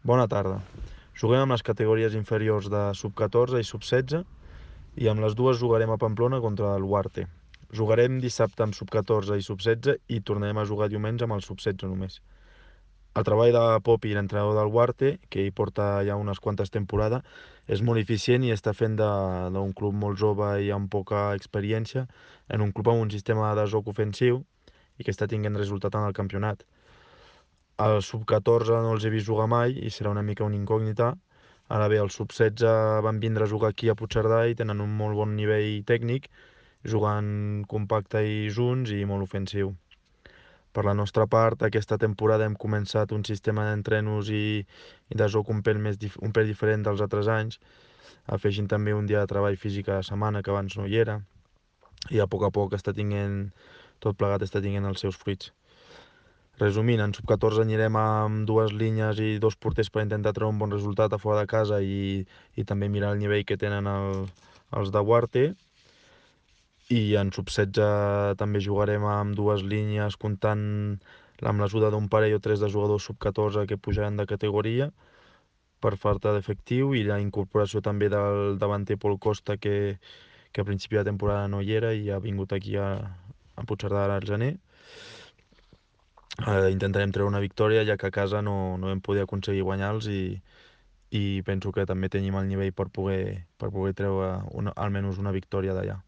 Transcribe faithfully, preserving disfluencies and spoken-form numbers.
Bona tarda. Juguem amb les categories inferiors de sub catorze i sub setze i amb les dues jugarem a Pamplona contra el Huarte. Jugarem dissabte amb sub catorze i sub setze i tornarem a jugar diumenge amb el sub setze només. El treball de Popi, l'entrenador del Huarte, que hi porta ja unes quantes temporades, és molt eficient i està fent d'un club molt jove i amb poca experiència en un club amb un sistema de joc ofensiu i que està tinguent resultat en el campionat. El sub catorze no els he vist jugar mai i serà una mica una incògnita. Ara bé, el sub setze van vindre a jugar aquí a Puigcerdà i tenen un molt bon nivell tècnic, jugant compacte i junts i molt ofensiu. Per la nostra part, aquesta temporada hem començat un sistema d'entrenos i, i de joc un pèl, més dif un pèl diferent dels altres anys, afegint també un dia de treball físic a la setmana que abans no hi era, i a poc a poc està tinguent, tot plegat està tinguent els seus fruits. Resumint, en sub catorze anirem amb dues línies i dos porters per intentar treure un bon resultat a fora de casa i, i també mirar el nivell que tenen el, els de Huarte. I en sub setze també jugarem amb dues línies comptant amb l'ajuda d'un parell o tres de jugadors sub catorze que pujaran de categoria per falta d'efectiu i la incorporació també del davanter Pol Costa que, que a principi de temporada no hi era i ha vingut aquí a, a Puigcerdà al gener. Eh, intentarem treure una victòria, ja que a casa no, no vam poder aconseguir guanyar-los i, i penso que també tenim el nivell per poder, per poder treure una, almenys una victòria d'allà.